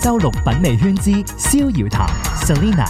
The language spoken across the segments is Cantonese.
週六品味圈之逍遙談 Selina。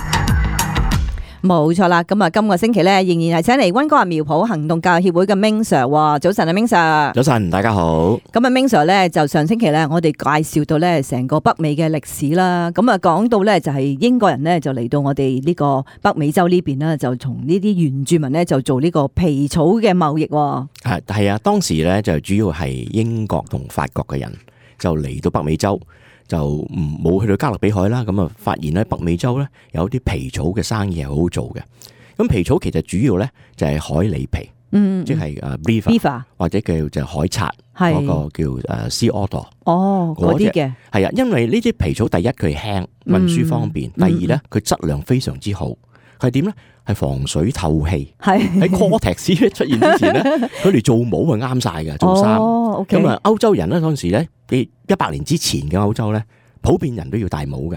冇錯啦，咁啊，今個星期咧仍然係請嚟溫哥華苗圃行動教協會嘅 Ming Sir。早晨啊，Ming Sir。早晨，大家好。咁啊，Ming Sir咧就上星期咧，我哋介紹到咧成個北美嘅歷史啦。咁啊，講到咧就係英國人咧就嚟到我哋呢個北美洲呢邊啦，就從呢啲原住民咧就做呢個皮草嘅貿易。係啊，當時咧就主要係英國同法國嘅人就嚟到北美洲。就冇去到加勒比海啦，咁啊發現咧北美洲咧有啲皮草嘅生意係好好做嘅。咁皮草其實主要咧就係海狸皮，即係beaver 或者叫就海賊嗰個叫sea otter。哦，嗰啲嘅係啊，因為呢啲皮草第一佢輕，運輸方便；第二咧佢質量非常之好。係點咧？係防水透氣。喺 Cortex 出現之前咧，佢哋做帽係啱晒嘅，做衫。咁啊，歐洲人咧嗰陣時咧，100年之前嘅歐洲咧，普遍人都要戴帽嘅。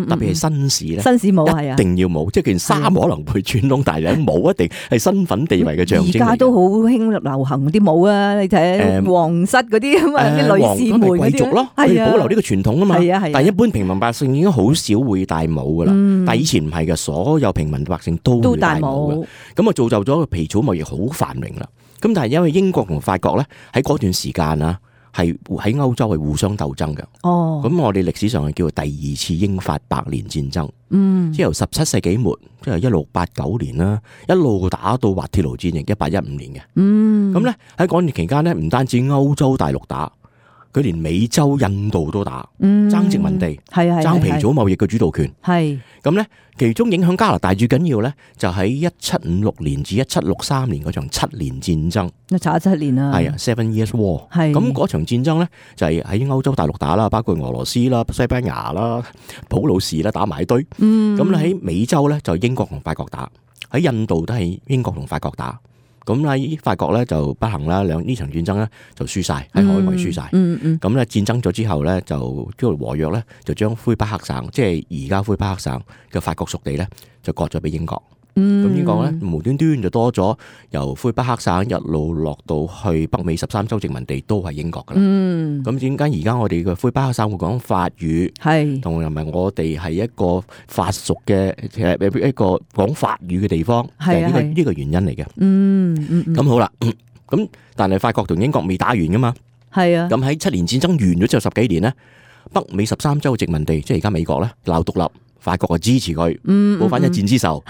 特別係紳士咧，紳士帽係啊，一定要帽。即係件衫可能會穿窿，但係帽一定係身份地位嘅象徵。而家都好興流行啲帽啊！你睇皇室嗰啲咁啊，啲女士們嗰啲貴族咯，係保留呢個傳統啊嘛。但係一般平民百姓已經好少會戴帽噶啦。但係以前唔係嘅，所有平民百姓都會戴帽嘅。咁啊，造就咗個皮草貿易好繁榮啦。咁但係因為英國同法國咧喺嗰段時間啊，係喺歐洲係互相鬥爭嘅。咁我哋歷史上係叫做第二次英法百年戰爭。即係由17世紀末，即係1689年啦，一路打到滑鐵盧戰役1815年嘅。咁咧喺嗰段期間咧，唔單止歐洲大陸打，佢連美洲、印度都打，爭殖民地，爭皮草貿易嘅主導權。咁咧，其中影響加拿大最緊要咧，就喺1756年至1763年嗰場7年戰爭。查咗7年啦。係啊 ，7 Years War。咁嗰場戰爭咧，就係喺歐洲大陸打啦，包括俄羅斯啦、西班牙啦、普魯士啦，打埋一堆。咁咧喺美洲咧就英國同法國打，喺印度都係英國同法國打。咁喺法國咧就不幸啦，呢場戰爭咧就輸晒，喺海外輸晒。咁咧戰爭咗之後咧就叫和約咧就將魁北克省，即係而家魁北克省嘅法國屬地咧就割咗俾英國。咁英國咧無端端就多咗由魁北克省一路落到去北美13州殖民地都係英國噶啦。咁點解而家我哋嘅魁北克省會講法語，同埋我哋係一個法屬嘅一個講法語嘅地方，係呢個原因嚟嘅。咁好啦，咁但係法國同英國未打完噶嘛。咁喺7年戰爭完咗之後10幾年咧，北美13州殖民地即係而家美國咧鬧獨立。法國啊支持佢，報翻一戰之仇，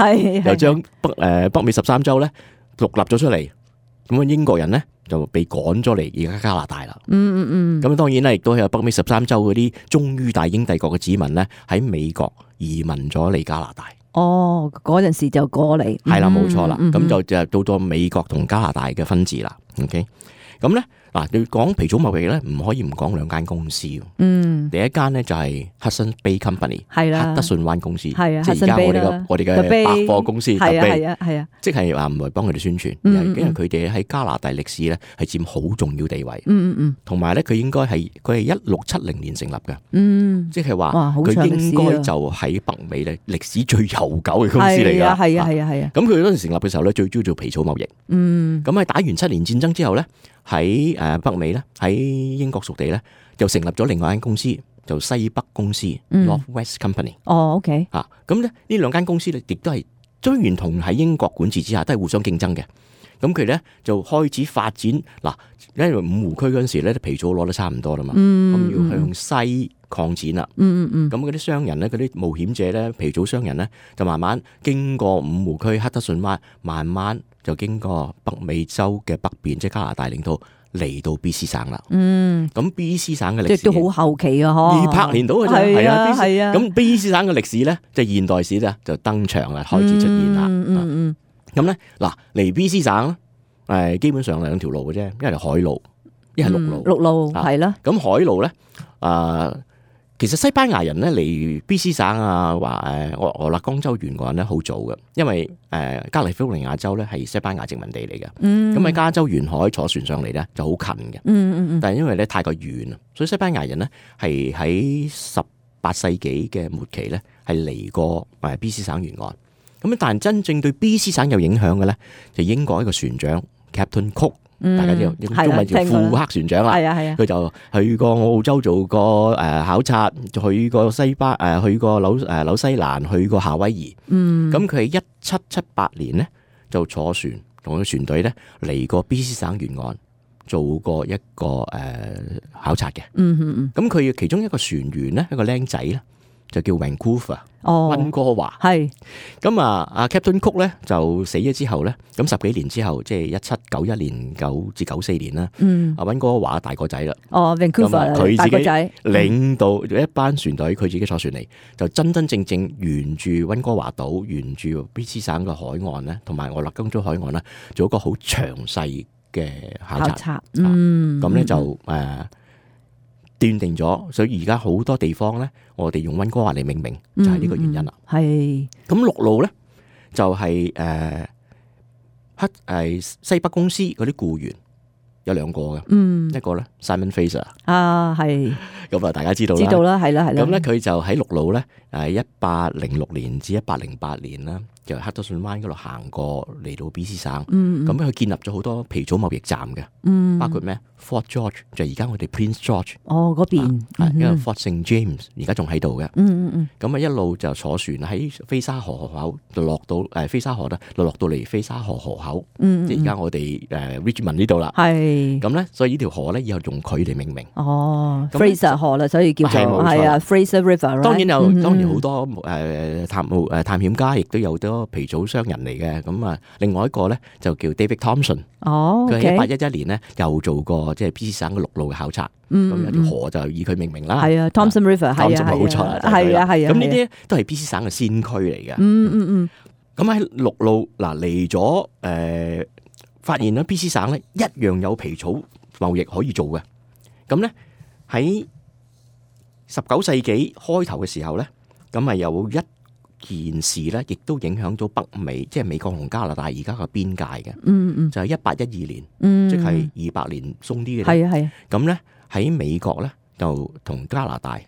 又將北美13州咧獨立咗出嚟，咁啊英國人咧就被趕咗嚟而家加拿大啦。咁當然咧，亦都有北美13州嗰啲忠於大英帝國嘅子民咧喺美國移民咗嚟加拿大。嗰陣時就過嚟，係啦，冇錯啦。咁就到咗美國同加拿大嘅分治啦。OK，咁咧嗱，你講皮草貿易咧，唔可以唔講兩間公司。第一間咧就係 Hudson Bay Company， 克德遜灣公司，即係而家我哋嘅百貨公司，係啊，即係話唔係幫佢哋宣傳，因為佢哋喺加拿大歷史咧係佔好重要地位。同埋咧佢應該係1670年成立嘅，即係話佢應該就喺北美咧歷史最悠久嘅公司嚟㗎。係啊。咁佢嗰陣成立嘅時候咧，最主要做皮草貿易。咁喺打完7年戰爭之後咧，喺北美咧，喺英國屬地咧，就成立咗另外一間公司，就西北公司 Northwest Company。OK。咁咧呢兩間公司咧，亦都係雖然同喺英國管治之下，都係互相競爭嘅。咁佢咧就開始發展嗱，因為五湖區嗰陣時咧，啲皮草攞得差唔多啦嘛，咁要向西擴展啦。咁嗰啲商人咧，嗰啲冒險者咧，皮草商人咧，就慢慢經過五湖區、克德遜灣，慢慢就經過北美洲嘅北邊，即係加拿大領土嚟到 B.C 省啦。咁 B.C 省嘅歷史即係都好後期啊，200年到嘅啫。係啊。咁 B.C 省嘅歷史咧，即係現代史咧，就登場啦，開始出現啦。咁咧嗱，嚟 B.C 省基本上兩條路嘅啫，一係海路，一係陸路。陸路係啦。咁海路咧，其實西班牙人咧嚟 B.C 省啊，話俄勒岡州沿岸咧好早嘅，因為加利福尼亞州咧係西班牙殖民地嚟嘅。咁喺加州沿海坐船上嚟咧就好近嘅。但係因為咧太過遠啊，所以西班牙人咧係喺18世紀嘅末期咧係嚟過B.C 省沿岸。咁但係真正對 B.C 省有影響嘅咧，就英國一個船長 Captain Cook 大家知道中文叫庫克船長啦。係啊係啊，佢就去過澳洲做過考察，去過去過紐西蘭，去過夏威夷。咁佢喺1778年咧就坐船同個船隊咧嚟過 BC 省沿岸做過一個考察嘅。咁佢其中一個船員咧，一個僆仔咧就叫 Vancouver。溫哥華係咁阿 Captain Cook 咧就死咗之後咧，咁10幾年之後，即係1791年9至94年啦。阿溫哥華大個仔啦。Vancouver 佢自己大個仔領導一班船隊，佢自己坐船嚟，就真正沿住溫哥華島，沿住 BC 省嘅海岸咧，同埋俄勒岡州海岸咧，做一個好詳細嘅考察。咁咧就斷定咗，所以而家好多地方咧，我哋用溫哥華嚟命名，就係呢個原因啦。係咁陸路咧，就係西北公司嗰啲僱員有2個嘅，一個咧 Simon Fraser 係咁啊，大家知道啦，係啦。咁咧佢就喺陸路咧，1806年至1808年啦，就黑德遜灣嗰度行過嚟到 BC 省。咁佢建立咗好多皮草貿易站嘅，包括咩 Fort George 就而家我哋 Prince George 嗰邊，因為 Fort St James 而家仲喺度嘅。咁一路就坐船喺菲沙河口就落到菲沙河啦，落到嚟菲沙河河口，即係而家我哋Richmond 呢度啦。係咁咧，所以呢條河咧以後用佢嚟命名。Fraser 河啦，所以叫做係啊 Fraser River。當然好多探險家，亦都有好多皮草商人嚟嘅。咁另外一個咧就叫 David Thompson。佢喺1811年咧又做過即係 BC 省嘅陸路嘅考察。咁有條河就以佢命名啦。係啊 Thompson River 係啊，冇錯啦，係啊。咁呢啲都係 BC 省嘅先驅嚟嘅。咁喺陸路嚟咗發現咧 BC 省咧一樣有皮草貿易可以做嘅。咁咧喺19世紀開頭嘅時候咧，咁有一件事咧，亦都影響咗北美，即係美國同加拿大而家嘅邊界嘅。就係1812年，即係200年鬆啲嘅。係。咁咧喺美國咧就同加拿大，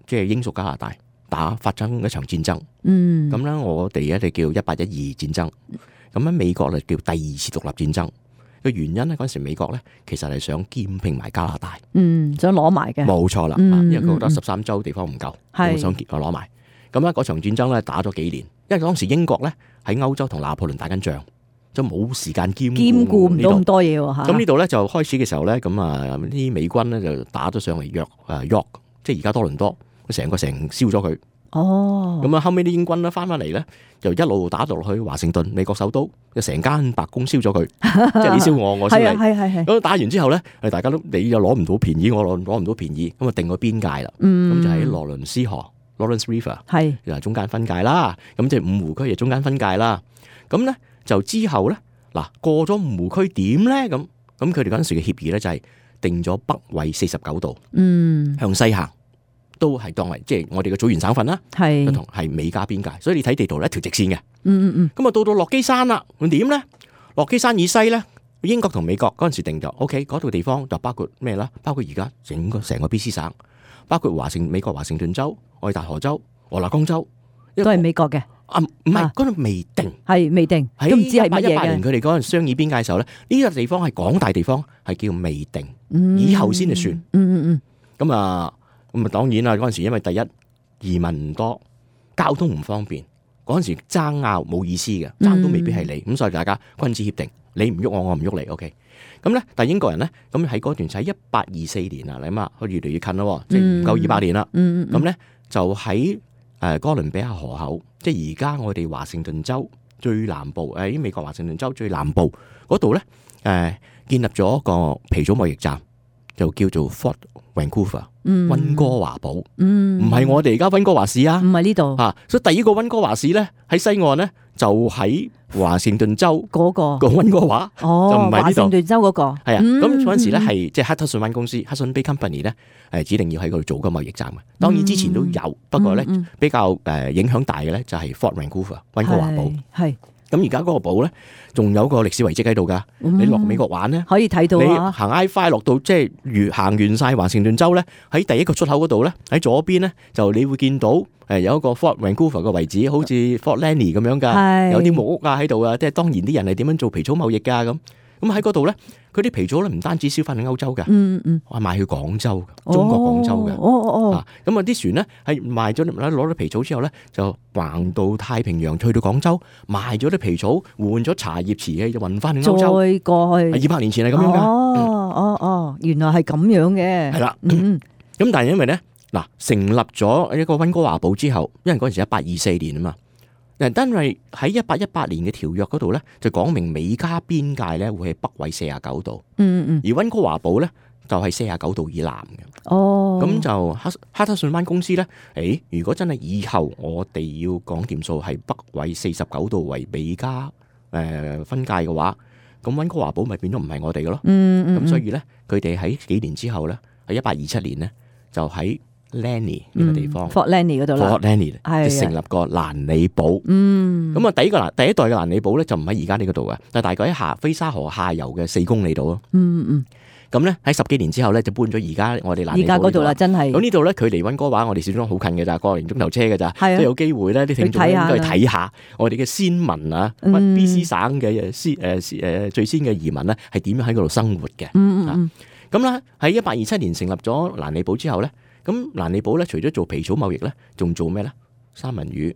即係英屬加拿大發生一場戰爭。咁咧我哋咧就叫1812戰爭。咁喺美國就叫第2次獨立戰爭。嘅原因咧，嗰陣時美國咧其實係想兼併埋加拿大，想攞埋嘅，冇錯啦。因為佢覺得13州地方唔夠，想攞埋。咁咧嗰場戰爭咧打咗幾年，因為當時英國咧喺歐洲同拿破崙打緊仗，就冇時間兼顧唔到咁多嘢喎。咁呢度咧就開始嘅時候咧，咁啲美軍咧就打咗上嚟York，即係而家多倫多，成個城燒咗佢。咁後尾啲英軍咧翻嚟咧，就一路打到落去華盛頓，美國首都，就成間白宮燒咗佢，即係你燒我，我燒你。係。咁打完之後咧，大家都你又攞唔到便宜，我攞唔到便宜，咁啊定個邊界啦。咁就喺羅倫斯河 （Lawrence River） 就係中間分界啦。咁即係五湖區就中間分界啦。咁咧就之後咧過咗五湖區點咧？咁佢哋嗰陣時嘅協議咧就係定咗北緯49度，向西行。都係當為即係我哋嘅組員省份啦，同係美加邊界，所以你睇地圖咧一條直線嘅。咁到落基山啦，咁點咧？落基山以西咧，英國同美國嗰陣時定咗 ，OK， 嗰度地方就包括咩啦？包括而家成個BC 省，包括美國華盛頓州、愛達荷州、俄勒岡州，都係美國嘅。唔係嗰度未定，係未定，都唔知係乜嘢嘅。1818年佢哋嗰陣商議邊界嘅時候咧，呢個地方係廣大地方，係叫未定，以後先至算。咁當然啦，嗰陣時因為第一移民唔多，交通唔方便，嗰陣時爭拗冇意思嘅，爭都未必係你，咁所以大家君子協定，你唔喐我，我唔喐你 ，OK。咁咧，但係英國人咧，咁喺嗰段就喺1824年啊，你諗下，佢越嚟越近咯，即係唔夠200年啦。咁咧就喺哥倫比亞河口，即係而家我哋華盛頓州最南部，喺美國華盛頓州最南部嗰度咧，建立咗一個皮草貿易站，就叫做 Fort Vancouver。溫哥華堡，唔係我哋而家溫哥華市啊，唔係呢度所以第一個溫哥華市咧喺西岸咧就喺華盛頓州嗰個溫哥華，就唔係呢度。華盛頓州嗰個係啊，咁嗰陣時咧係即係黑德遜灣公司 Hudson Bay Company 咧，指定要喺嗰度做個貿易站嘅。當然之前都有，不過咧比較影響大嘅咧就係 Fort Vancouver 溫哥華堡。係咁而家嗰個堡咧，仲有個歷史遺跡喺度噶。你落美國玩咧，可以睇到。你行 I-5 落到即係行完晒華盛頓州咧，喺第一個出口嗰度咧，喺左邊咧就你會見到有一個 Fort Vancouver 嘅位置，好似 Fort Lanny 咁樣噶，有啲木屋啊喺度啊。即係當然啲人係點樣做皮草貿易噶咁喺嗰度咧，佢啲皮草咧唔單止銷翻去歐洲嘅，我係賣去廣州，哦中國廣州嘅。哦，咁啊啲船咧係賣咗攞咗皮草之後咧，就橫到太平洋去到廣州，賣咗啲皮草，換咗茶葉瓷器，就運翻去歐洲。再過去200年前係咁樣噶。原來係咁樣嘅。係啦。咁但係因為咧嗱，成立咗一個溫哥華堡之後，因為嗰陣時1824年啊嘛。因為喺1818年嘅條約嗰度咧，就講明美加邊界咧會係北緯49度，而溫哥華堡咧就係49度以南嘅。咁就哈德遜灣公司咧，如果真係以後我哋要講掂數係北緯49度為美加分界嘅話，咁溫哥華堡咪變咗唔係我哋嘅咯。咁所以咧，佢哋喺幾年之後咧，喺1827年咧，就喺Lani 呢個地方，Fort Lani 嗰度啦， Fort Lani 就成立個蘭尼堡。咁啊，第一代嘅蘭尼堡咧就唔喺而家呢個度嘅，但係大概喺菲沙河下游嘅4公里度咯。咁咧喺10幾年之後咧就搬咗而家我哋蘭尼堡嗰度啦，真係。咁呢度咧距離溫哥華我哋小莊好近嘅咋，個零鐘頭車嘅咋，都有機會咧啲聽眾應該去睇下我哋嘅先民啊，BC 省嘅最先嘅移民咧係點樣喺嗰度生活嘅。咁啦喺1827年成立咗蘭尼堡之後咧。咁蘭尼堡咧，除咗做皮草貿易咧，仲做咩咧？三文魚，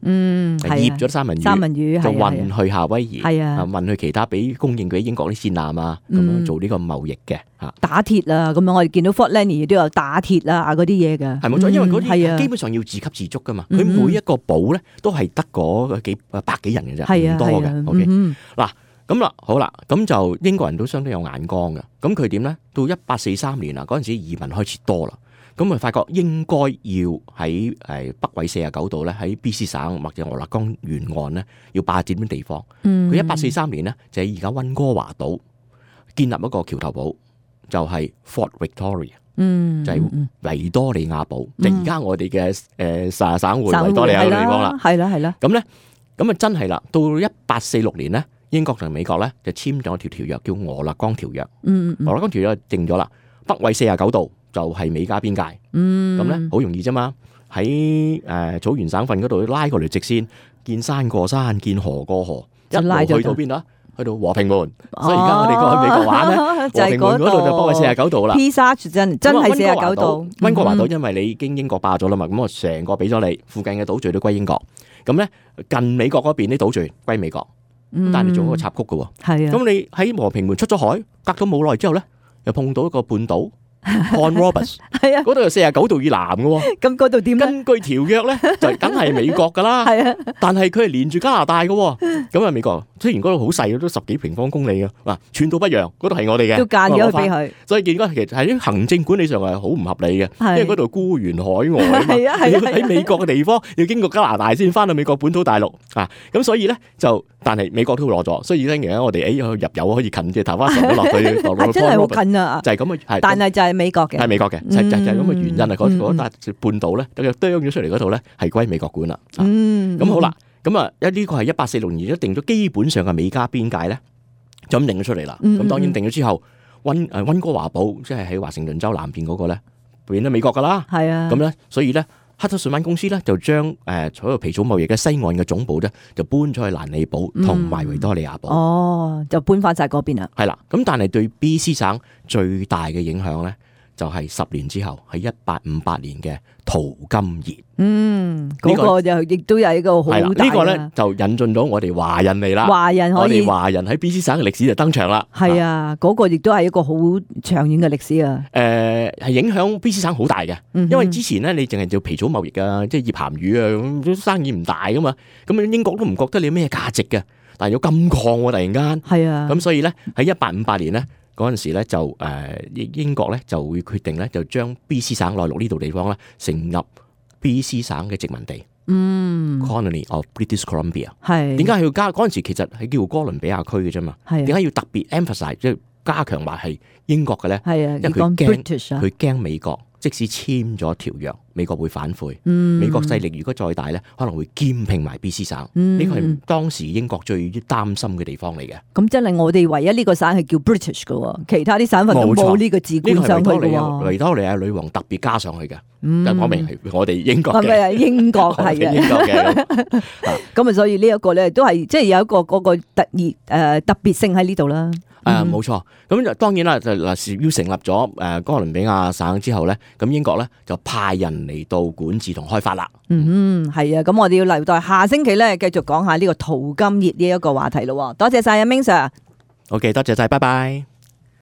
醃咗三文魚就運去夏威夷，運去其他俾供應俾英國啲戰艦啊，咁樣做呢個貿易嘅嚇。打鐵啊，咁樣我哋見到 Fort Lani 都有打鐵啊嗰啲嘢嘅。係冇錯，因為嗰啲基本上要自給自足噶嘛。佢每一個堡咧都係得嗰百幾人嘅啫，唔多嘅。OK，嗱咁啦，好啦，咁就英國人都相當有眼光嘅。咁佢點咧？到1843年啊，嗰陣時移民開始多啦。咁咪發覺應該要喺北緯49度咧，喺 BC 省或者俄勒岡沿岸咧，要霸佔啲地方。佢1843年咧就喺而家溫哥華島建立一個橋頭堡，就係 Fort Victoria，就係維多利亞堡，就而家我哋嘅省會維多利亞嘅地方啦。係啦。咁咧，咁啊真係啦，到1846年咧，英國同美國咧就簽咗條條約叫俄勒岡條約。俄勒岡條約定咗啦，北緯49度。就係美加邊界，咁咧好容易啫嘛。喺草原省份嗰度拉過嚟直線，見山過山，見河過河，一路去到邊度啊？去到和平門。所以而家我哋過去美國玩咧，和平門嗰度就北緯49度啦。Pisa 真係49度。溫哥華島因為你已經英國霸咗啦嘛，咁我成個俾咗你，附近嘅島嶼都歸英國。咁咧近美國嗰邊啲島嶼歸美國，但係你做一個插曲嘅喎。係啊。咁你喺和平門出咗海，隔咗冇耐之後咧，又碰到一個半島。Point Roberts 係啊，嗰度有49度以南嘅喎。咁嗰度點咧？根據條約咧，就梗係美國噶啦。係啊，但係佢係連住加拿大嘅喎。咁啊，美國雖然嗰度好細，都10幾平方公里嘅，嗱，寸土不讓，嗰度係我哋嘅，都間咗俾佢。所以見到其實喺行政管理上係好唔合理嘅，因為嗰度孤懸海外啊嘛。係啊，要喺美國嘅地方要經過加拿大先翻到美國本土大陸啊。咁所以咧就，但係美國都攞咗，所以而家我哋入油可以近啲，頭髮上咗落去，真係好近啊！就係咁啊，但係就係美國嘅，係美國嘅，就係咁嘅原因啊！嗰笪半島咧，就啄咗出嚟嗰度咧，係歸美國管啦。咁好啦，咁啊，呢個係1846年一定咗基本上嘅美加邊界咧，就咁定咗出嚟啦。咁當然定咗之後，溫哥華堡即係喺華盛頓州南邊嗰個咧，變咗美國噶啦。係啊，咁咧，所以咧。哈德遜灣公司咧就將所有皮草貿易嘅西岸嘅總部咧就搬咗去蘭尼堡同埋維多利亞堡。哦，就搬翻晒嗰邊啦。係啦，咁但係對 BC 省最大嘅影響咧，就係10年之後喺1858年嘅淘金熱。嗰個就亦都有一個好大嘅。呢個咧就引進咗我哋華人嚟啦。華人可以，我哋華人喺 BC 省嘅歷史就登場啦。係啊，嗰個亦都係一個好長遠嘅歷史啊。係影響 BC 省好大嘅，因為之前咧你淨係做皮草貿易啊，即係醃鹹魚啊，咁生意唔大噶嘛。咁英國都唔覺得你有咩價值嘅，但係有金礦喎，突然間。係啊。咁所以咧喺1858年咧嗰陣時咧就英國咧就會決定咧就將 BC 省內陸呢度地方咧成立 BC 省嘅殖民地，Colony of British Columbia。係點解要加嗰陣時其實係叫哥倫比亞區嘅啫嘛？係點解要特別 emphasize 即係加強話係英國嘅咧？係啊，因為佢驚美國即使簽咗條約，美國會反悔。美國勢力如果再大咧，可能會兼併埋 BC 省。呢個係當時英國最擔心嘅地方嚟嘅。咁真係我哋唯一呢個省係叫 British 嘅，其他啲省份都冇呢個字冠上去嘅。維多利亞女王特別加上去嘅。就講明係我哋英國嘅，係咪啊？英國係嘅，英國嘅。咁啊，所以呢一個咧都係即係有一個嗰個特別性喺呢度啦。冇錯。咁就當然啦，就嗱要成立咗哥倫比亞省之後咧，咁英國咧就派人嚟到管治同開發啦。係啊，咁我哋要留待下星期咧繼續講下呢個淘金熱呢一個話題咯。多謝晒阿明 Sir。OK， 多謝晒，拜拜。